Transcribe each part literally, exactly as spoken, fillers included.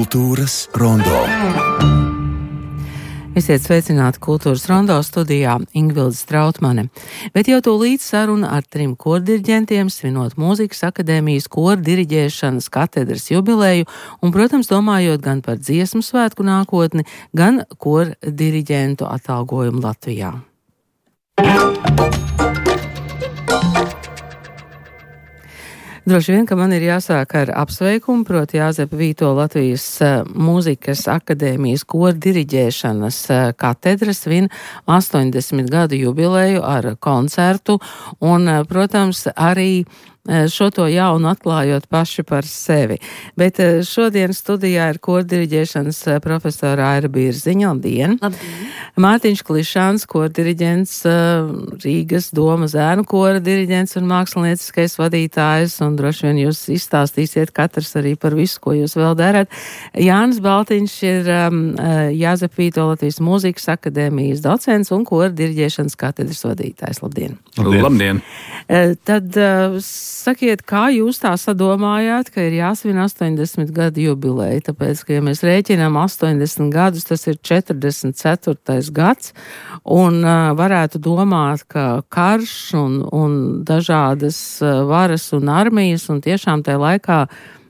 Kultūras rondo. Esiet sveicināti Kultūras rondo studijā Ingvilde Strautmane. Bet jau tūlīt saruna ar trim kordiriģentiem svinot Mūzikas akadēmijas kordiriģēšanas katedras jubileju un, protams, domājot gan par dziesmu svētku nākotni, gan kordiriģentu atalgojumu Latvijā. Droši vien, ka man ir jāsāk ar apsveikumu, proti Jāzepa Vīto Latvijas Mūzikas akadēmijas kordiriģēšanas katedra svin astoņdesmit gadu jubileju ar koncertu un, protams, arī šo to jaunu atklājot paši par sevi. Bet šodien studijā ir kordiriģēšanas profesora Aira Bierziņa. Labdien! Labdien! Mārtiņš Klišāns, kordiriģents, Rīgas Doma zēnu kora diriģents un mākslinieckais vadītājs, un droši vien jūs izstāstīsiet katrs arī par visu, ko jūs vēl darat. Jānis Baltiņš ir um, Jāzepa Vīto Latvijas Mūzikas akadēmijas docents un kordiriģēšanas katedras vadītājs. Labdien! Labdien! Labdien. Tad uh, sakiet, kā jūs tā sadomājāt, ka ir jāsvin astoņdesmit gadu jubileja, tāpēc, ka, ja mēs rēķinām astoņdesmit gadus, tas ir četrdesmit ceturtais gads, un uh, varētu domāt, ka karš un, un dažādas uh, varas un armijas, un tiešām tajā laikā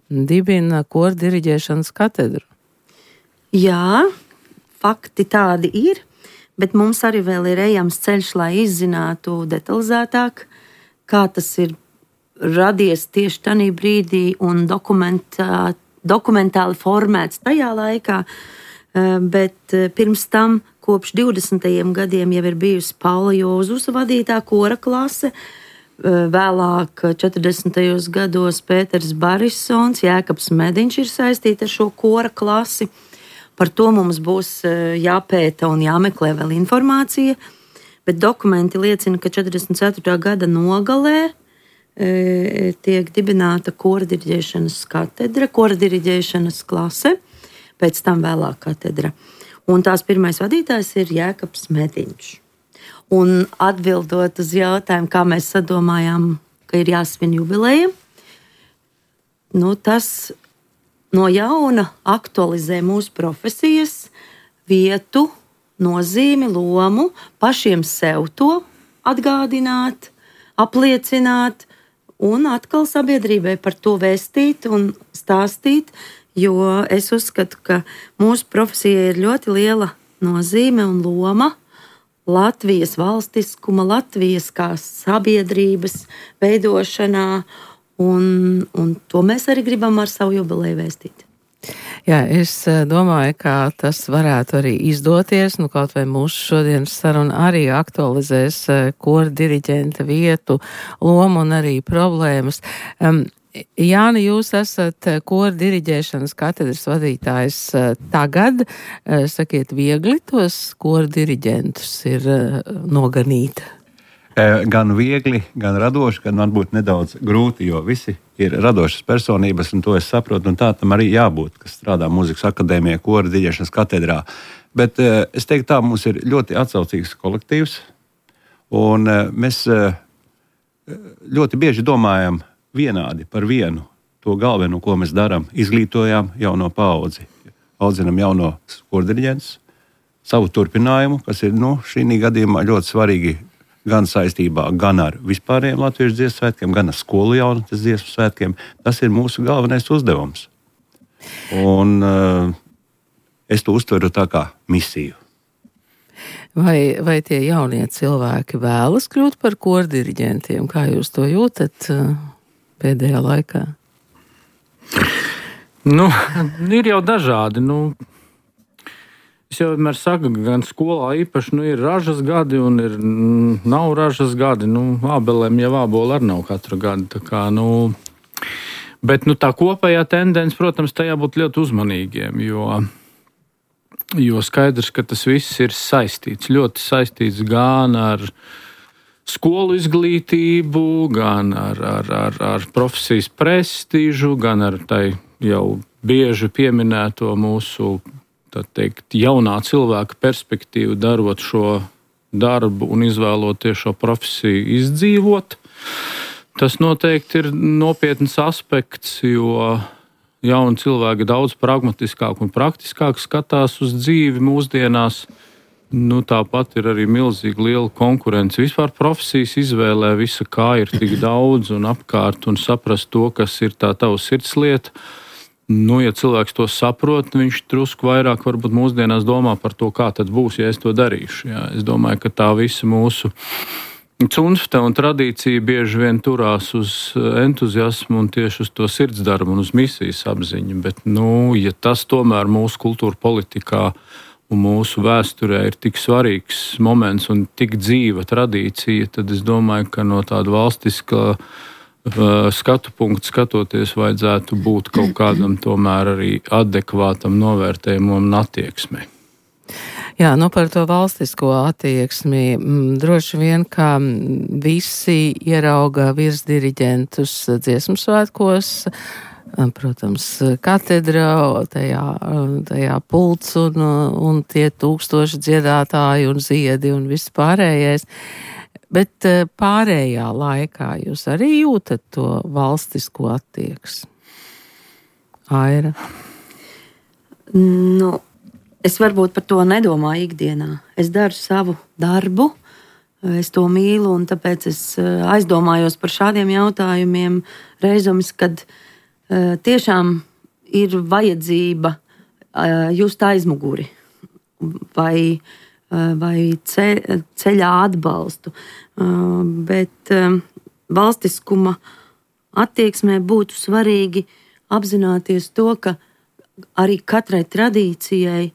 dibina kordiriģēšanas katedru. Jā, fakti tādi ir, bet mums arī vēl ir ejams ceļš, lai izzinātu detalizētāk, kā tas ir radies tieši tajā brīdī un dokumentā, dokumentāli formēts tajā laikā, bet pirms tam kopš divdesmitajiem gadiem jau ir bijusi Paula Jozusa vadītā kora klase, vēlāk četrdesmitajos gados Pēters Barisons, Jēkabs Mediņš ir saistīti ar šo kora klasi. Par to mums būs jāpēta un jāmeklē vēl informācija, bet dokumenti liecina, ka četrdesmit ceturtā gada nogalē e, tiek dibināta kordiriģēšanas katedra, kordiriģēšanas klase, pēc tam vēlāk katedra. Un tās pirmais vadītājs ir Jēkabs Mediņš. Un atbildot uz jautājumu, kā mēs sadomājām, ka ir jāsvin jubileja, nu tas no jauna aktualizē mūsu profesijas vietu, nozīmi, lomu, pašiem sev to atgādināt, apliecināt un atkal sabiedrībai par to vēstīt un stāstīt, jo es uzskatu, ka mūsu profesijai ir ļoti liela nozīme un loma Latvijas valstiskuma, Latvijas kā sabiedrības veidošanā, un, un to mēs arī gribam ar savu jubileju vēstīt. Jā, es domāju, ka tas varētu arī izdoties, nu kaut vai mūsu šodienas saruna arī aktualizēs kordiriģenta vietu, lomu un arī problēmas. Um, Jāni, jūs esat kordiriģēšanas katedras vadītājs tagad. Sakiet, viegli tos kordiriģentus ir noganīt? Gan viegli, gan radoši, gan varbūt nedaudz grūti, jo visi ir radošas personības, un to es saprotu, un tā tam arī jābūt, kas strādā Mūzikas akadēmijā, kordiriģēšanas katedrā. Bet es teiktu tā, mums ir ļoti atsaucīgs kolektīvs, un mēs ļoti bieži domājam vienādi par vienu to galveno, ko mēs darām, izglītojām jauno paudzi, audzinam jauno kordiriģentus, savu turpinājumu, kas ir, nu, šī gadījumā ļoti svarīgi gan saistībā gan ar vispārējiem latviešu dziesmu svētkiem, gan ar skolu jaunatnes dziesmu svētkiem. Tas ir mūsu galvenais uzdevums. Un uh, es to uztveru tā kā misiju. Vai, vai tie jaunie cilvēki vēlas kļūt par kordiriģentiem? Kā jūs to jūtat uh, pēdējā laikā? Nu, ir jau dažādi, nu... Es jau vienmēr saku, gan skolā īpaši nu, ir ražas gadi un ir, nav ražas gadi. Nu, ābelēm jau āboli arī nav katru gadu. Tā kā, nu, bet nu, tā kopējā tendence, protams, tā jābūt ļoti uzmanīgiem, jo, jo skaidrs, ka tas viss ir saistīts. Ļoti saistīts gan ar skolu izglītību, gan ar, ar, ar, ar profesijas prestīžu, gan ar tai jau bieži pieminēto mūsu tā teikt, jaunā cilvēka perspektīvu, darot šo darbu un izvēloties šo profesiju izdzīvot. Tas noteikti ir nopietns aspekts, jo jauni cilvēki daudz pragmatiskāk un praktiskāk skatās uz dzīvi mūsdienās. Nu, tāpat ir arī milzīgi liela konkurence. Vispār profesijas izvēlē visa, kā ir tik daudz un apkārt, un saprast to, kas ir tā tava sirdslieta. Nu, ja cilvēks to saprot, viņš drusku vairāk varbūt mūsdienās domā par to, kā tad būs, ja es to darīšu. Jā. Es domāju, ka tā visa mūsu cunfte un tradīcija bieži vien turās uz entuziasmu un tieši uz to sirdsdarbu un uz misijas apziņu. Bet, nu, ja tas tomēr mūsu kultūra politikā un mūsu vēsturē ir tik svarīgs moments un tik dzīva tradīcija, tad es domāju, ka no tāda valstiskā skatu punktu skatoties vajadzētu būt kaut kādam tomēr arī adekvātam novērtējumam un attieksmei. Jā, nu par to valstisko attieksmi droši vien, ka visi ierauga virsdiriģentus dziesmu svētkos, protams, katedrā, tajā, tajā pults un, un tie tūkstoši dziedātāji un ziedi un viss pārējais. Bet pārējā laikā jūs arī jūtat to valstisko attieksmi? Aira? Nu, es varbūt par to nedomāju ikdienā. Es daru savu darbu, es to mīlu, un tāpēc es aizdomājos par šādiem jautājumiem reizomis, kad uh, tiešām ir vajadzība uh, just aizmuguri vai vai ceļā atbalstu. Bet valstiskuma attieksmē būtu svarīgi apzināties to, ka arī katrai tradīcijai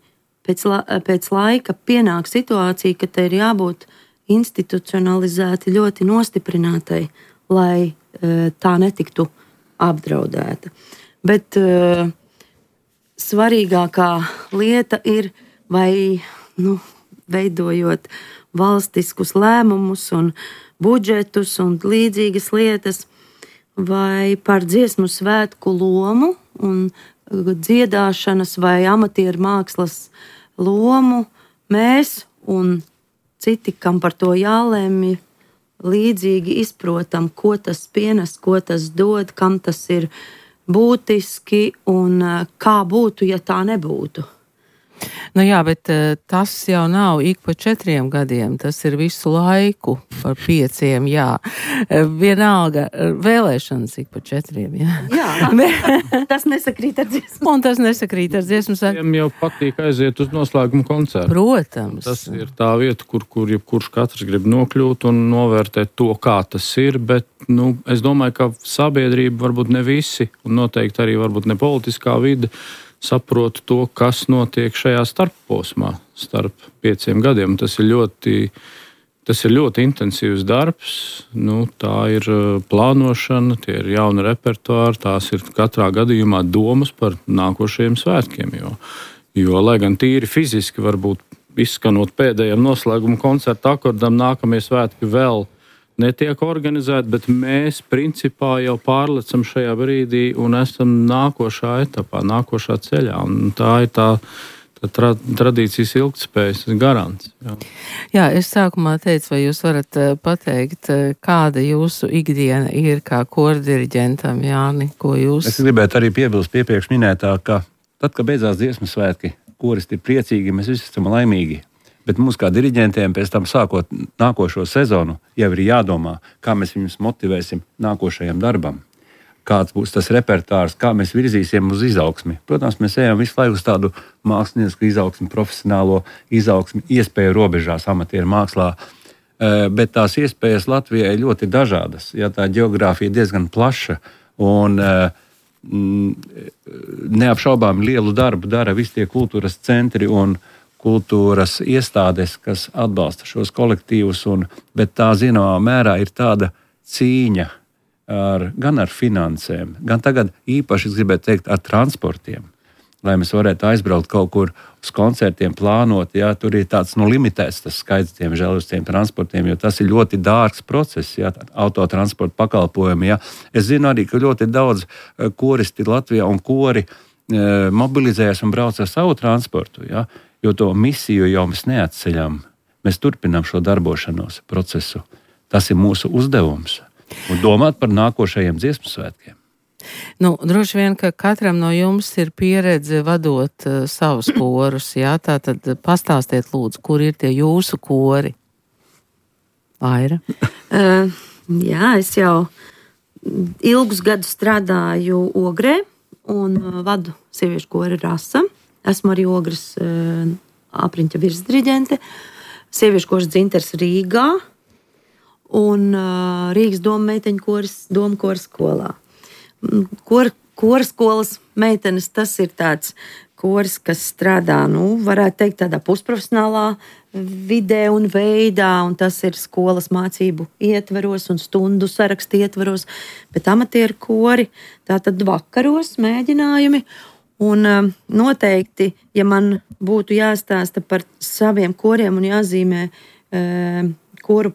pēc, la, pēc laika pienāk situācija, ka te ir jābūt institucionalizēti, ļoti nostiprinātai, lai tā netiktu apdraudēta. Bet svarīgākā lieta ir, vai nu, veidojot valstiskus lēmumus un budžetus un līdzīgas lietas, vai par dziesmu svētku lomu un dziedāšanas vai amatieru mākslas lomu mēs un citi, kam par to jālemj, līdzīgi izprotam, ko tas pienes, ko tas dod, kam tas ir būtiski un kā būtu, ja tā nebūtu. Nu jā, bet tas jau nav ik pa četriem gadiem, tas ir visu laiku par pieciem, jā. Vienalga, vēlēšanas ik pa četriem, jā. Jā, tas nesakrīt ar dziesmu. Un tas nesakrīt ar dziesmu. Viņam jau patīk aiziet uz noslēgumu koncertu. Protams. Tas ir tā vieta, kur, kur jebkurš katrs grib nokļūt un novērtēt to, kā tas ir, bet, nu, es domāju, ka sabiedrība varbūt ne visi, un noteikti arī varbūt ne politiskā vide, saprotu to, kas notiek šajā starpposmā, starp pieciem gadiem. Tas ir ļoti, tas ir ļoti intensīvs darbs. Nu, tā ir plānošana, tie ir jauni repertuāri, tās ir katrā gadījumā domas par nākošajiem svētkiem. Jo, jo lai gan tīri fiziski varbūt izskanot pēdējiem noslēguma koncerta akordam, nākamie svētki vēl netiek organizēti, bet mēs principā jau pārlecam šajā brīdī un esam nākošā etapā, nākošā ceļā. Un tā ir tā, tā tra, tradīcijas ilgtspējas garants. Jā. Jā, es sākumā teicu, vai jūs varat pateikt, kāda jūsu ikdiena ir kā kordiriģentam, Jāni, ko jūs... Es gribētu arī piebilst piepriekš minētā, ka tad, kad beidzās dziesmu svētki, koristi ir priecīgi, mēs visi esam laimīgi. Bet mums kā diriģentiem pēc tam sākot nākošo sezonu jau ir jādomā, kā mēs viņus motivēsim nākošajam darbam. Kāds būs tas repertārs, kā mēs virzīsim uz izaugsmi. Protams, mēs ejam visu laiku uz tādu mākslinieku izaugsmi, profesionālo izaugsmi, iespēju robežās amatieru mākslā. Bet tās iespējas Latvijai ļoti dažādas. Ja, tā ģeogrāfija ir diezgan plaša un neapšaubām lielu darbu dara visi tie kultūras centri un kultūras iestādes, kas atbalsta šos kolektīvus, un, bet tā zināmā mērā ir tāda cīņa ar, gan ar finansēm, gan tagad īpaši, es gribētu teikt, ar transportiem, lai mēs varētu aizbraukt kaut kur uz koncertiem, plānot, ja tur ir tāds nu, limitēts tas skaits, diemžēl, uz tiem transportiem, jo tas ir ļoti dārgs process, ja, autotransporta pakalpojumi. Ja. Es zinu arī, ka ļoti daudz koristi Latvijā un kori e, mobilizējas un brauc ar savu transportu, ja. Jo to misiju jau mēs neatceļam. Mēs turpinām šo darbošanos procesu. Tas ir mūsu uzdevums. Un domāt par nākošajiem dziesmu svētkiem. Nu, droši vien, ka katram no jums ir pieredze vadot uh, savus korus, jā, tā tad pastāstiet lūdzu, kur ir tie jūsu kori? Aira? Uh, jā, es jau ilgus gadus strādāju Ogrē un uh, vadu sieviešu kori Rasa. Esmu arī Ogres uh, apriņķa virsdiriģente, sieviešu koris Dzinters Rīgā un uh, Rīgas doma meiteņu koris doma koris skolā. Kor, koris skolas meitenes, tas ir tāds koris, kas strādā, nu, varētu teikt, tādā pusprofesionālā vidē un veidā, un tas ir skolas mācību ietveros un stundu sarakstu ietveros, bet amatieru kori, tātad vakaros mēģinājumi, un um, noteikti, ja man būtu jāstāsta par saviem koriem un jāzīmē um, koru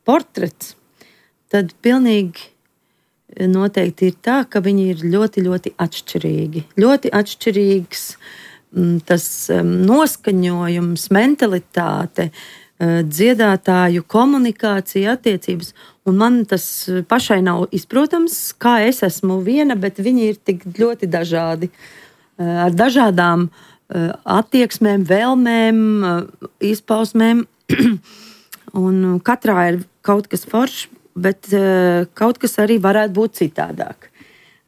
portrets, tad pilnīgi noteikti ir tā, ka viņi ir ļoti, ļoti atšķirīgi. Ļoti atšķirīgs tas noskaņojums, mentalitāte, dziedātāju komunikācija, attiecības. Un man tas pašai nav izprotams, kā es esmu viena, bet viņi ir tik ļoti dažādi. Ar dažādām attieksmēm, vēlmēm, izpausmēm. Un katrā ir kaut kas foršs, bet uh, kaut kas arī varētu būt citādāk.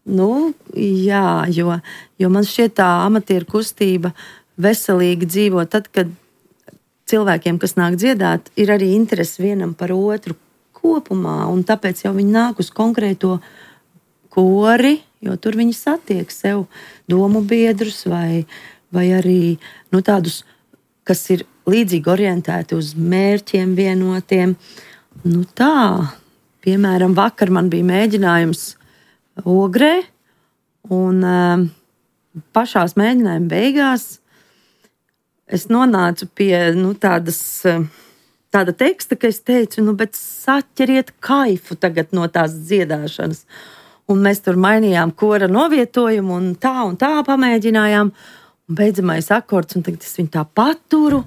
Nu, jā, jo, jo man šķiet tā amatieru kustība veselīgi dzīvo tad, kad cilvēkiem, kas nāk dziedāt, ir arī interesi vienam par otru kopumā, un tāpēc jau viņi nāk uz konkrēto kori, jo tur viņi satiek sev domu biedrus vai, vai arī nu, tādus, kas ir līdzīgi orientēti uz mērķiem vienotiem. Nu tā, piemēram, vakar man bija mēģinājums Ogrē, un um, pašās mēģinājuma beigās es nonācu pie nu, tādas, tāda teksta, ka es teicu, nu, bet saķeriet kaifu tagad no tās dziedāšanas. Un mēs tur mainījām kora novietojumu, un tā un tā pamēģinājām, un beidzamais akords, un tagad es viņu tā paturu,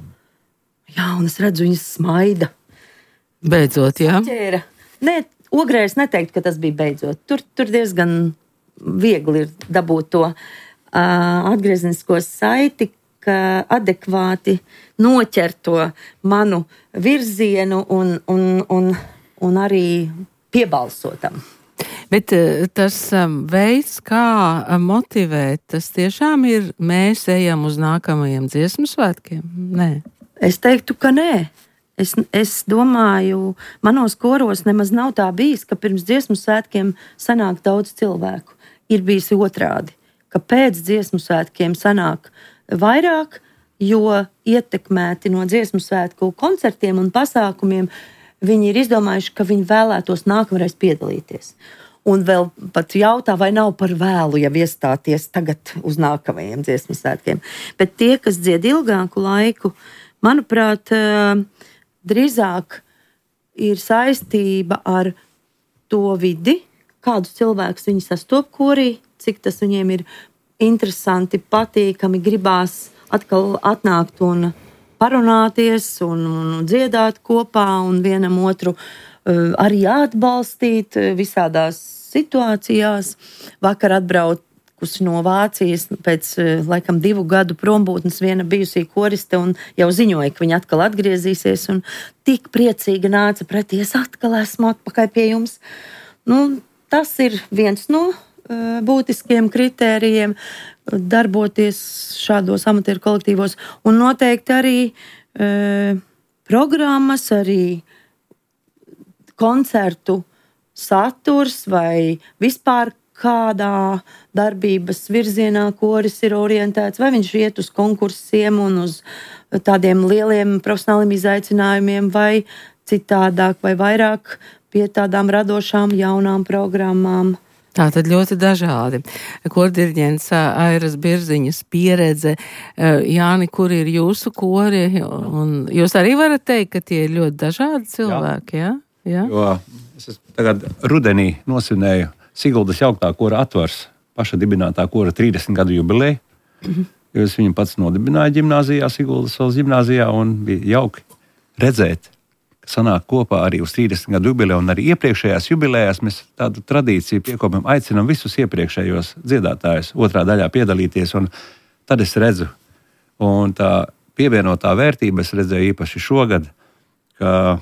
jā, un es redzu, viņas smaida. Beidzot, jā. Saķēra. Nē, Ogrē es neteiktu, ka tas bija beidzot. Tur, tur diezgan viegli ir dabūt to uh, atgriezenisko saiti, ka adekvāti noķer to manu virzienu un, un, un, un arī piebalsotam. Bet tas veids, kā motivēt, tas tiešām ir mēs ejam uz nākamajiem dziesmu svētkiem? Nē. Es teiktu, ka nē. Es, es domāju, manos koros nemaz nav tā bijis, ka pirms dziesmu svētkiem sanāk daudz cilvēku. Ir bijis otrādi, ka pēc dziesmu svētkiem sanāk vairāk, jo ietekmēti no dziesmu svētku koncertiem un pasākumiem viņi ir izdomājuši, ka viņi vēlētos nākamreiz piedalīties. Un vēl pat jautā, vai nav par vēlu jau iestāties tagad uz nākamajiem dziesmu svētkiem. Bet tie, kas dzied ilgāku laiku, manuprāt, drīzāk ir saistība ar to vidi, kādus cilvēkus viņi sastop korī, cik tas viņiem ir interesanti, patīkami, gribās atkal atnākt un parunāties un, un dziedāt kopā un vienam otru uh, arī atbalstīt visādās situācijās. Vakar atbrauc no Vācijas pēc laikam divu gadu prombūtnes viena bijusī koriste un jau ziņoja, ka viņa atkal atgriezīsies un tik priecīgi nāca pretī, es atkal esmu atpakaļ pie jums. Nu, tas ir viens no uh, būtiskiem kritērijiem darboties šādos amatieru kolektīvos un noteikti arī uh, programmas, arī koncertu saturs vai vispār kādā darbības virzienā koris ir orientēts, vai viņš iet uz konkursiem un uz tādiem lieliem profesionāliem izaicinājumiem, vai citādāk, vai vairāk pie tādām radošām jaunām programmām. Tā tad ļoti dažādi. Kordiriģents Airas Birziņas pieredze. Jāni, kur ir jūsu kori? Un jūs arī varat teikt, ka tie ir ļoti dažādi cilvēki, jā? Jā? Jo es tagad rudenī nosvinēju Siguldas jauktā kora atvars, paša dibinātā kora trīsdesmit gadu jubileju, mm-hmm. jo es viņu pats nodibināju ģimnāzijā, Siguldas valsts ģimnāzijā, un bija jauki redzēt, ka sanāk kopā arī uz trīsdesmit gadu jubileju, un arī iepriekšējās jubilejās mēs tādu tradīciju piekopjam, aicinam visus iepriekšējos dziedātājus otrā daļā piedalīties, un tad es redzu, un tā pievienotā vērtība es redzēju īpaši šogad, ka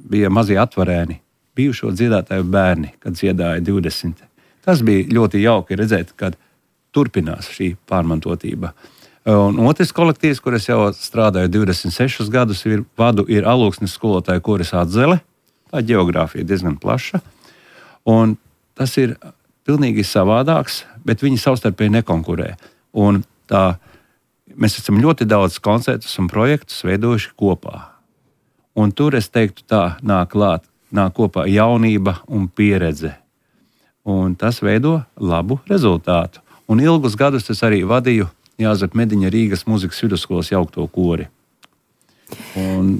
bija mazie atvarēni, bijušo dziedātāju bērni, kad dziedāja divdesmit. Tas bija ļoti jauki redzēt, kad turpinās šī pārmantotība. Un otrs kolektīvs, kur es jau strādāju divdesmit sešus gadus, ir vadu, ir Alūksnes skolotāja koris Atzele. Tā ģeogrāfija diezgan plaša. Un tas ir pilnīgi savādāks, bet viņi savstarpēji nekonkurē. Un tā, mēs esam ļoti daudz koncertus un projektus veidojuši kopā. Un tur, es teiktu, tā nāk klāt, nāk kopā jaunība un pieredze. Un tas veido labu rezultātu. Un ilgus gadus es arī vadīju Jāzepa Mediņa Rīgas mūzikas vidusskolas jaukto kori. Un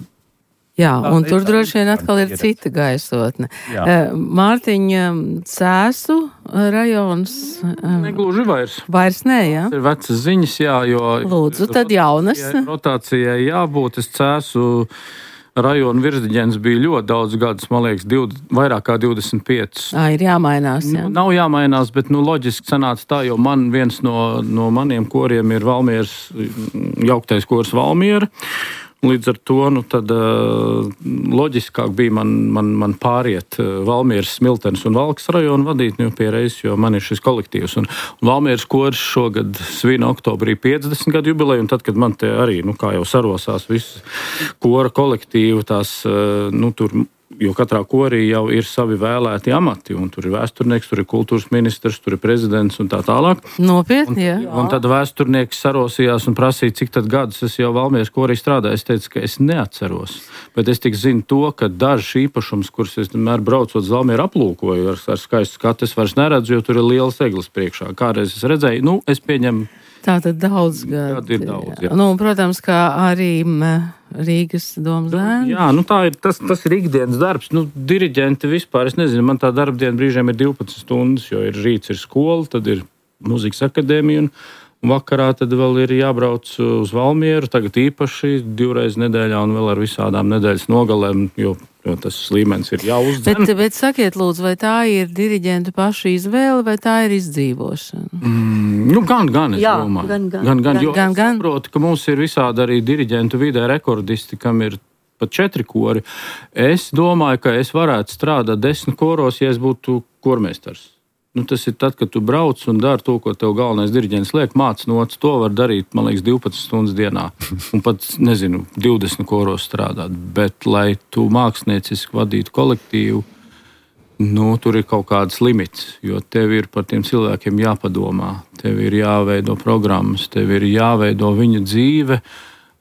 Jā, tā, un tur tā, droši vien atkal ir cita gaisotne. Uh, Mārtiņa, Cēsu rajons. Uh, Negluži vairs. Vairs nē, jā? Tas ir vecas ziņas, jā, jo... Lūdzu, tad jaunas. Rotācijai jābūt, es Cēsu rajonu virsdiģens bija ļoti daudz gadus, man liekas, div, vairāk kā divdesmit pieci. Ā, ir jāmainās, jā. Nu, nav jāmainās, bet nu, loģiski sanāca tā, jo man viens no, no maniem koriem ir Valmieras, jauktais kors Valmiera. Līdz ar to nu, tad, uh, loģiskāk bija man, man, man pāriet uh, Valmieras, Smiltenes un Valkas rajonu vadīt, nu, pierreiz, jo man ir šis kolektīvs. Un, un Valmieras koris šogad svina oktobrī piecdesmit gadu jubileju, un tad, kad man te arī, nu, kā jau sarosās visi kora kolektīvi, tās, uh, nu, tur, jo katrā korī jau ir savi vēlēti amati, un tur ir vēsturnieks, tur ir kultūras ministrs, tur ir prezidents un tā tālāk. Nopietni, jā. Un, un tad vēsturnieks sarosījās un prasīja, cik tad gadus es jau Valmieras korī strādāju. Es teicu, ka es neatceros, bet es tik zinu to, ka dažs īpašums, kurus es vienmēr braucot uz Valmieru aplūkoju ar, ar skaistu skatu, es vairs neredzu, jo tur ir lielas eglis priekšā. Kādreiz es redzēju, nu, es pieņemu. Tā tad daudz gadu. Ir daudz, jā. Nu, protams, kā arī Rīgas domas lēns. Jā, nu tā ir, tas, tas ir ikdienas darbs. Nu, diriģenti vispār, es nezinu, man tā darba diena brīžiem ir divpadsmit stundas, jo ir rīts ir skola, tad ir muzikas akadēmija un vakarā tad vēl ir jābrauc uz Valmieru, tagad īpaši divreiz nedēļā un vēl ar visādām nedēļas nogalēm, jo, jo tas līmenis ir jāuzdzen. Bet, bet sakiet, lūdzu, vai tā ir diriģentu pašu izvēle vai tā ir izdzīvošana? Mm, nu, gan, gan, es Jā, domāju. gan, gan. gan, gan, jo Gan, gan. es saprotu, ka mums ir visādi arī diriģentu vidē rekordisti, kam ir pat četri kori. Es domāju, ka es varētu strādāt desmit koros, ja es būtu kormeistars. Nu, tas ir tad, kad tu brauc un dari to, ko tev galvenais diriģents liek, māc nots, to var darīt, man liekas, divpadsmit stundas dienā. Un pat, nezinu, divdesmit koros strādāt. Bet, lai tu mākslinieciski vadītu kolektīvu, nu, tur ir kaut kāds limits, jo tev ir par tiem cilvēkiem jāpadomā, tev ir jāveido programmas, tev ir jāveido viņu dzīve,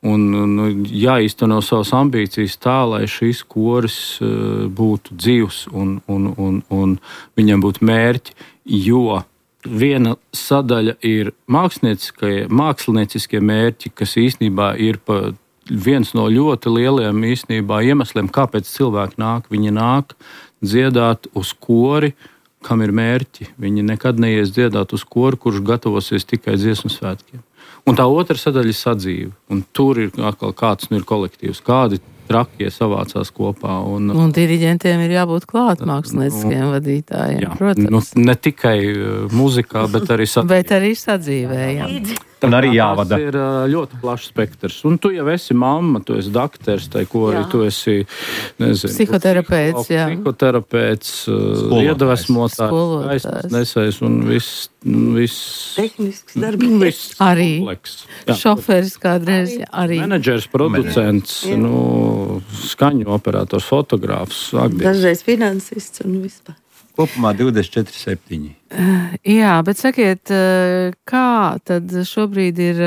un nu, jāīsteno savas ambīcijas tā, lai šis koris uh, būtu dzīvs un, un, un, un viņam būtu mērķi, jo viena sadaļa ir mākslinieckie, mākslinieciskie mērķi, kas īstenībā ir pa viens no ļoti lieliem īstenībā iemesliem, kāpēc cilvēki nāk. Viņi nāk dziedāt uz kori, kam ir mērķi. Viņi nekad neies dziedāt uz kori, kurš gatavosies tikai dziesmu svētkiem. Un tā otra sadaļa ir sadzīve. Un tur ir atkal kāds nu ir kolektīvs, kādi trakie savācās kopā. Un, un diriģentiem ir jābūt klāt mākslinieciskiem vadītājiem, jā, protams. Nu, ne tikai muzikā, bet arī sadzīvē. Bet arī sadzīvē, jā. Un arī jāvada. Tas ir ļoti plašs spektrs. Un tu jau esi mamma, tu esi dakters, tai kori, tu esi, nezinu, psihoterapeits, jā. Psihoterapeits, iedvesmotājs, nesējs un viss, viss. Tehnisks darbības. Arī. Kompleks. Šoferis kādreiz, arī. Menedžers, producents, Jā. nu, skaņu operators, fotogrāfs. Dažreiz finansists un vispār. Kopumā divdesmit četri septiņi. Jā, bet sakiet, kā tad šobrīd ir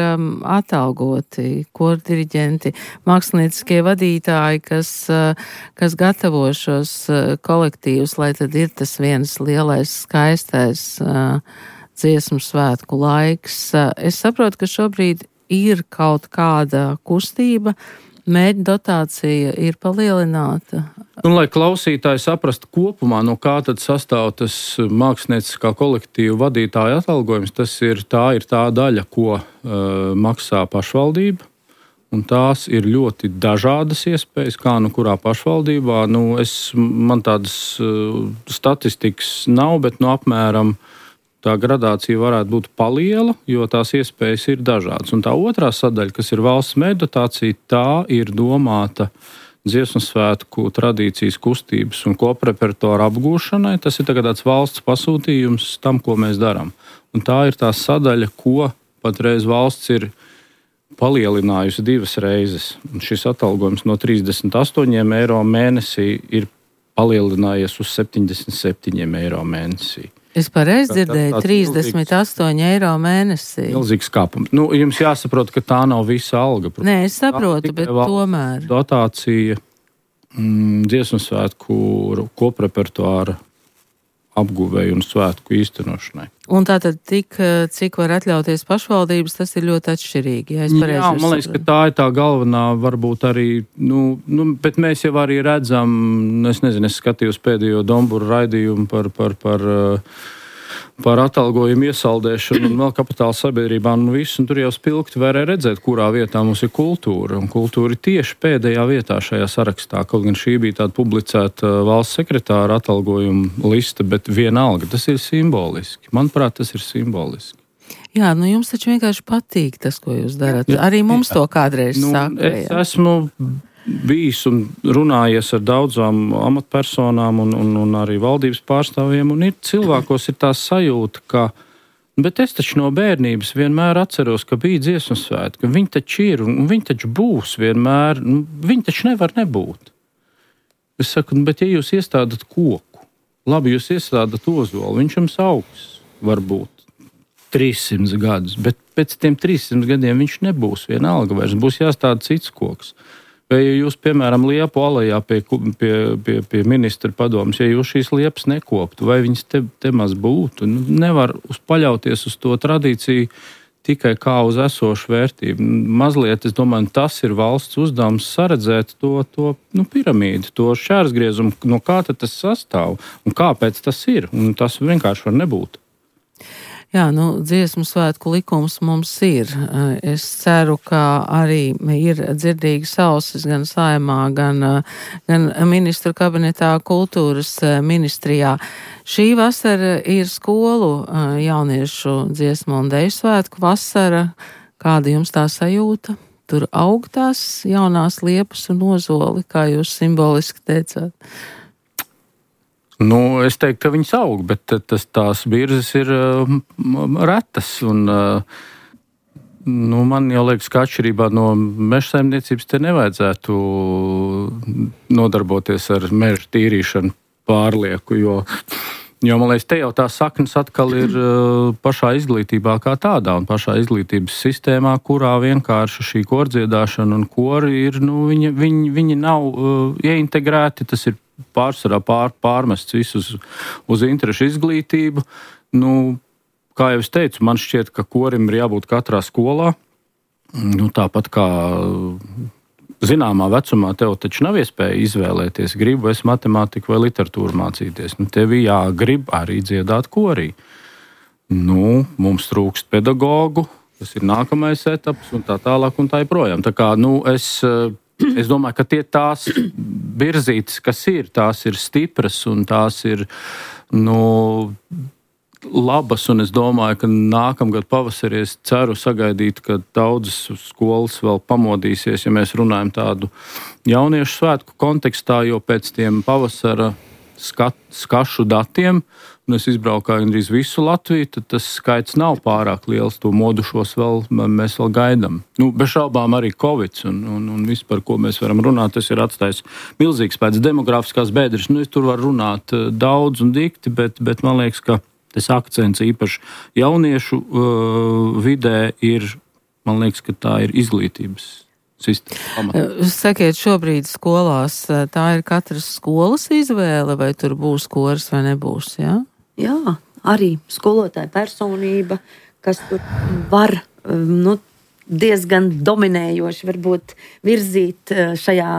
atalgoti kordiriģenti, mākslinieckie vadītāji, kas, kas gatavo šos kolektīvus, lai tad ir tas viens lielais skaistais dziesmu svētku laiks. Es saprotu, ka šobrīd ir kaut kāda kustība, mērķa dotācija ir palielināta. Un, lai klausītāji saprastu kopumā, no kā tad sastāv tas mākslinieckā kolektīva vadītāja atalgojums, tas ir tā, ir tā daļa, ko uh, maksā pašvaldība, Un tās ir ļoti dažādas iespējas, kā nu kurā pašvaldībā. Nu, es, man tādas uh, statistikas nav, bet nu, apmēram tā gradācija varētu būt paliela, jo tās iespējas ir dažādas. Un tā otrā sadaļa, kas ir valsts mēģināšana dotācija, tā ir domāta dziesmu svētku tradīcijas, kustības un koprepertuāra apgūšanai. Tas ir tāds valsts pasūtījums tam, ko mēs darām. Un tā ir tā sadaļa, ko patreiz valsts ir palielinājusi divas reizes. Un šis atalgojums no trīsdesmit astoņiem eiro mēnesī ir palielinājies uz septiņdesmit septiņiem eiro mēnesī. Es pareizi dzirdēju, trīsdesmit astoņi eiro mēnesī. Milzīgs kāpums. Nu, jums jāsaprot, ka tā nav visa alga. Nē, es saprotu, bet tomēr. Dotācija mm, dziesmu svētku koprepertuāra apguvēju un svētku īstenošanai. Un tātad tik, cik var atļauties pašvaldības, tas ir ļoti atšķirīgi. Ja Jā, man liekas, ka tā ir tā galvenā, varbūt arī, nu, nu, bet mēs jau arī redzam, es nezinu, es skatījos pēdējo Domburu raidījumu par, par, par, par atalgojumu iesaldēšanu un vēl kapitāla sabiedrībām un visu, un tur jau spilgti varēja redzēt, kurā vietā mums ir kultūra. Un kultūra ir tieši pēdējā vietā šajā sarakstā, kaut gan šī bija tāda publicēta valsts sekretāra atalgojuma lista, bet vienalga, tas ir simboliski. Manuprāt, tas ir simboliski. Jā, nu jums taču vienkārši patīk tas, ko jūs darat. Arī mums to kādreiz nu, saka. Es esmu bijis un runājies ar daudzām amatpersonām un, un, un arī valdības pārstāvjiem, un ir cilvēkos ir tā sajūta, ka, bet es taču no bērnības vienmēr atceros, ka bija dziesmu svētki, ka viņi taču ir, un viņi taču būs vienmēr, nu, viņi taču nevar nebūt. Es saku, bet ja jūs iestādat koku, labi, jūs iestādat ozolu, viņš jums augs varbūt trīssimt gadus, bet pēc tiem trīssimt gadiem viņš nebūs vienalga vairs, būs jāstāda cits koks. Vai jūs, piemēram, Liepu alejā pie, pie, pie, pie ministra padomas, ja jūs šīs liepas nekoptu, vai viņas te, te maz būtu? Nu, nevar uz paļauties uz to tradīciju tikai kā uz esošu vērtību. Mazliet, es domāju, tas ir valsts uzdevums saredzēt to, to nu, piramīdu, to šķērsgriezumu, no kā tad tas sastāv un kāpēc tas ir. Un tas vienkārši var nebūt. Jā, nu, dziesmu svētku likums mums ir. Es ceru, ka arī ir dzirdīgas ausis gan saimā, gan, gan ministru kabinetā, kultūras ministrijā. Šī vasara ir skolu jauniešu dziesmu un deju svētku vasara. Kāda jums tā sajūta? Tur aug tās jaunās liepas un ozoli, kā jūs simboliski teicāt. Nu, es teiktu, ka viņas aug, bet tas, tās birzes ir uh, retas. Un, uh, nu, man jau liekas, ka atšķirībā no meža saimniecības te nevajadzētu nodarboties ar meža tīrīšanu pārlieku, jo, jo man liekas, te jau tā saknes atkal ir uh, pašā izglītībā kā tādā un pašā izglītības sistēmā, kurā vienkārši šī kordziedāšana un kori ir, nu, viņi, viņi, viņi nav uh, ieintegrēti, tas ir pārsvarā pār, pārmests visus uz interešu izglītību. Nu, kā jau es teicu, man šķiet, ka korim ir jābūt katrā skolā. Nu, tāpat kā zināmā vecumā tev taču nav iespēja izvēlēties, gribu es matemātiku vai literatūru mācīties. Nu, tev jāgrib arī dziedāt korī. Nu, mums trūkst pedagogu, tas ir nākamais etaps un tā tālāk un tā joprojām. Tā kā, nu, es... Es domāju, ka tie tās virzītes, kas ir, tās ir stipras un tās ir nu, labas. Un es domāju, ka nākamgad pavasarī es ceru sagaidīt, ka daudzas skolas vēl pamodīsies, ja mēs runājam tādu jauniešu svētku kontekstā, jo pēc tiem pavasara skat, skašu datiem, un es izbraukāju gandrīz visu Latviju, tad tas skaits nav pārāk liels. To modušos vēl, mēs vēl gaidām. Nu, bez šaubām arī Covid un, un, un viss, par ko mēs varam runāt, tas ir atstājis milzīgs pēc demografiskās bēdras. Nu, es tur varu runāt daudz un dikti, bet, bet man liekas, ka tas akcents īpaši jauniešu uh, vidē ir, man liekas, ka tā ir izglītības sistēma. Sakiet, šobrīd skolās tā ir katras skolas izvēle, vai tur būs koris vai nebūs, jā? Jā, arī skolotāja personība, kas tur var nu, diezgan dominējoši varbūt virzīt šajā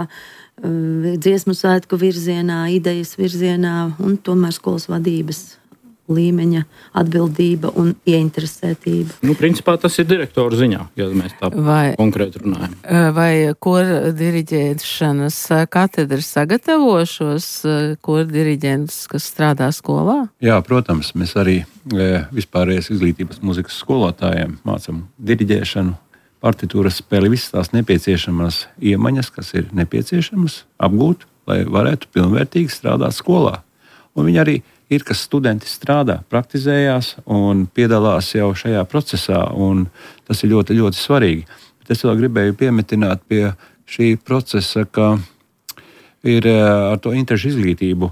dziesmu svētku virzienā, idejas virzienā un tomēr skolas vadības līmeņa atbildība un ieinteresētība. Nu, principā tas ir direktora ziņā, ja mēs tā vai, konkrēti runājam. Vai kora diriģēšanas katedra sagatavo šos kora diriģentus, kas strādā skolā? Jā, protams, mēs arī vispārējais izglītības mūzikas skolotājiem mācam diriģēšanu, partitūras spēli, visas tās nepieciešamās iemaņas, kas ir nepieciešamas apgūt, lai varētu pilnvērtīgi strādāt skolā. Un viņi arī ir, kas studenti strādā, praktizējās un piedalās jau šajā procesā, un tas ir ļoti, ļoti svarīgi. Bet es vēl gribēju piemetināt pie šī procesa, ka ir ar to interešu izglītību,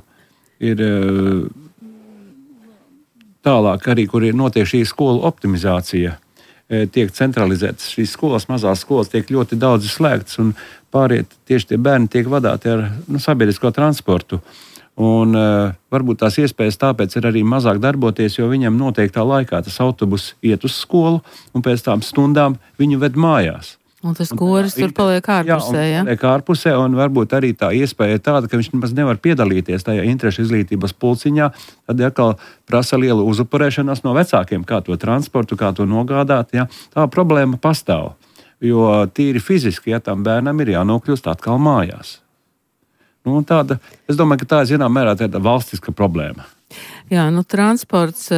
ir tālāk arī, kur ir notiek šī skolu optimizācija, tiek centralizētas šīs skolas, mazās skolas tiek ļoti daudz slēgtas, un pāriet tieši tie bērni tiek vadāti ar nu, sabiedrisko transportu. Un, uh, varbūt tās iespējas tāpēc ir arī mazāk darboties, jo viņam noteiktā laikā tas autobus iet uz skolu, un pēc tām stundām viņu ved mājās. Un tas koris tur paliek ārpusē, jā? Paliek ārpusē, un varbūt arī tā iespēja ir tāda, ka viņš nemaz nevar piedalīties tajā interešu izglītības pulciņā, tad atkal prasa lielu uzupurēšanos no vecākiem, kā to transportu, kā to nogādāt. Jā? Tā problēma pastāv, jo tīri fiziski, ja tam bērnam ir jānokļūst atkal mājās. Nu, tāda, es domāju, ka tā ir zināmā mērā tāda valstiska problēma. Jā, nu transports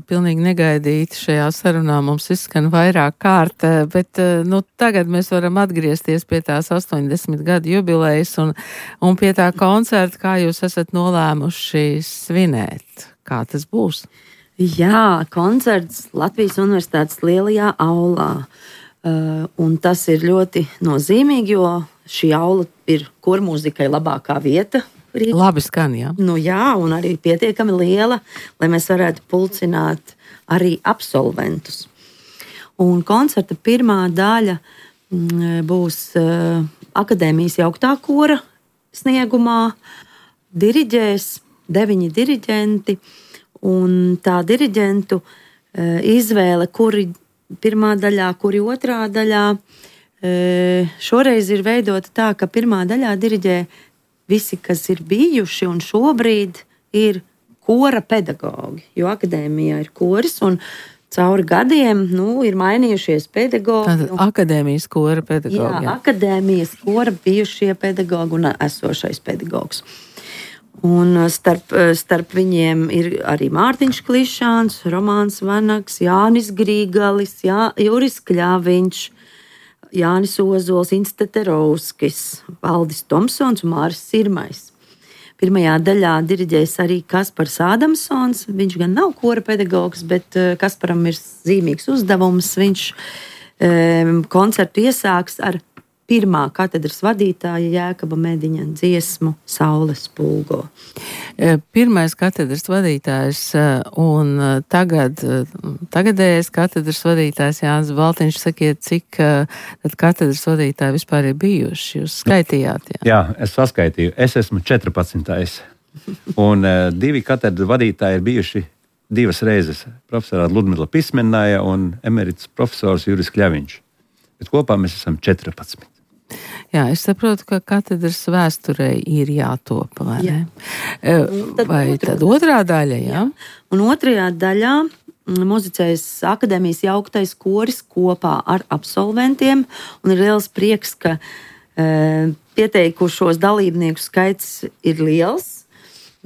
pilnīgi negaidīti šajā sarunā mums izskan vairāk kārt, bet nu, tagad mēs varam atgriezties pie tās astoņdesmit gadu jubilejas un, un pie tā koncerta, kā jūs esat nolēmuši svinēt. Kā tas būs? Jā, koncerts Latvijas Universitātes lielajā aulā. Uh, un tas ir ļoti nozīmīgi, jo šī aula ir kormūzikai labākā vieta. Rīgā. Labi skan, jā. Nu jā, un arī pietiekami liela, lai mēs varētu pulcināt arī absolventus. Un koncerta pirmā daļa m, būs uh, akadēmijas jauktā kora sniegumā. Diriģēs deviņi diriģenti, un tā diriģentu uh, izvēle, kuri pirmā daļā, kuri otrā daļā. E, šoreiz ir veidota tā, ka pirmā daļā diriģē visi, kas ir bijuši un šobrīd ir kora pedagogi, jo akadēmijā ir koris un cauri gadiem nu, ir mainījušies pedagogi. Tātad akadēmijas kora pedagogi. Jā, akadēmijas kora bijušie pedagogi un esošais pedagogs. Un starp, starp viņiem ir arī Mārtiņš Klišāns, Romāns Vanaks, Jānis Grīgalis, Jā, Juris Kļaviņš, Jānis Ozols, Ints Teterovskis, Valdis Tomsons un Māris Sirmais. Pirmajā daļā diriģēs arī Kaspars Ādamsons. Viņš gan nav kora pedagogs, bet Kasparam ir zīmīgs uzdevums. Viņš um, koncertu iesāks ar pirmā katedras vadītāja Jēkaba Mediņa dziesmu Saules pulgo. Pirmais katedras vadītājs un tagad, tagadējais katedras vadītājs Jānis Baltiņš, sakiet, cik tad katedras vadītāji vispār ir bijuši? Jūs skaitījāt, jā? Jā, es saskaitīju. Es esmu četrpadsmitais. Un uh, divi katedras vadītāji ir bijuši divas reizes. Profesorā Ludmila Pismenāja un emerits profesors Juris Kļaviņš. Bet kopā mēs esam četrpadsmit. Jā, es saprotu, ka katedras vēsturei ir jātopa, vai jā. ne? Tad vai otrā, tad otrā daļa, jā? jā? Un otrajā daļā muzicējas akadēmijas jauktais koris kopā ar absolventiem, un ir liels prieks, ka e, pieteikušos dalībnieku skaits ir liels.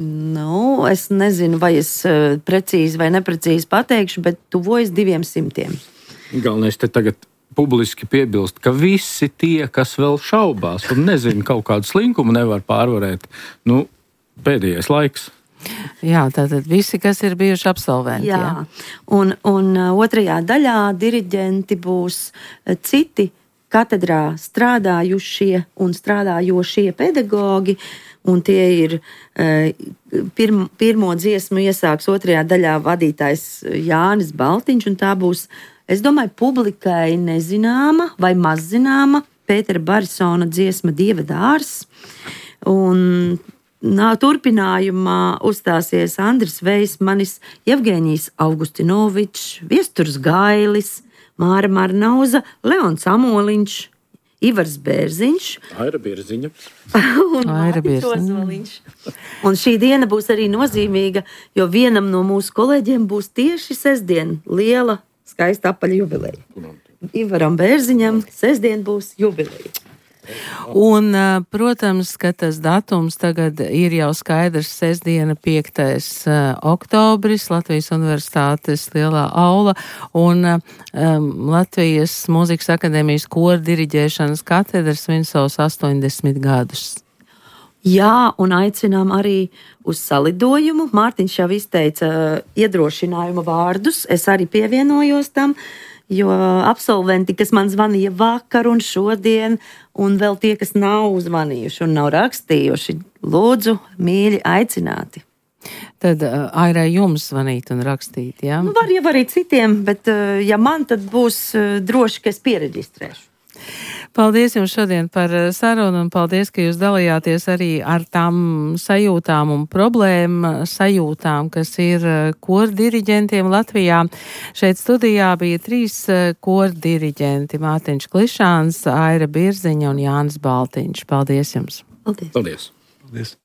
Nu, es nezinu, vai es precīzi vai neprecīzi pateikšu, bet tuvojas diviem simtiem. Galvenais te tagad publiski piebilst, ka visi tie, kas vēl šaubās un nezina kaut kādu slinkumu, nevar pārvarēt. Nu, pēdējais laiks. Jā, tātad visi, kas ir bijuši absolventi. Jā, jā. Un, un otrajā daļā diriģenti būs citi katedrā strādājušie un strādājošie pedagogi, un tie ir pirm, pirmo dziesmu iesāks otrajā daļā vadītājs Jānis Baltiņš, un tā būs, es domāju, publikai nezināma vai mazzināma Pētera Barisona dziesma Dieva dārs. Un nā, turpinājumā uzstāsies Andris Veismanis, Jevgeņijs Augustinovičs, Viesturs Gailis, Māra Marnauza, Leons Amoliņš, Ivars Bērziņš Aira Bierziņa. un Aira Mārtiņš Bierziņa. Ozoliņš. Un šī diena būs arī nozīmīga, jo vienam no mūsu kolēģiem būs tieši sestdien liela, skaista apaļa jubileja. Ivaram Bērziņam sestdien būs jubileja. Un, protams, ka tas datums tagad ir jau skaidrs, sestdiena piektais oktobris, Latvijas Universitātes lielā aula un um, Latvijas Mūzikas akadēmijas kora diriģēšanas katedras svin savus astoņdesmit gadus. Jā, un aicinām arī uz salidojumu. Mārtiņš jau izteica iedrošinājuma vārdus, es arī pievienojos tam, jo absolventi, kas man zvanīja vakar un šodien, un vēl tie, kas nav zvanījuši un nav rakstījuši, lūdzu, mīļi aicināti. Tad uh, Airai jums zvanīt un rakstīt, jā? Nu, var jau arī citiem, bet uh, ja man, tad būs uh, droši, ka es piereģistrēšu. Paldies jums šodien par sarunu un paldies, ka jūs dalījāties arī ar tām sajūtām un problēmu sajūtām, kas ir koru diriģentiem Latvijā. Šeit studijā bija trīs koru diriģenti - Mārtiņš Klišāns, Aira Bierziņa un Jānis Baltiņš. Paldies jums! Paldies! Paldies! Paldies.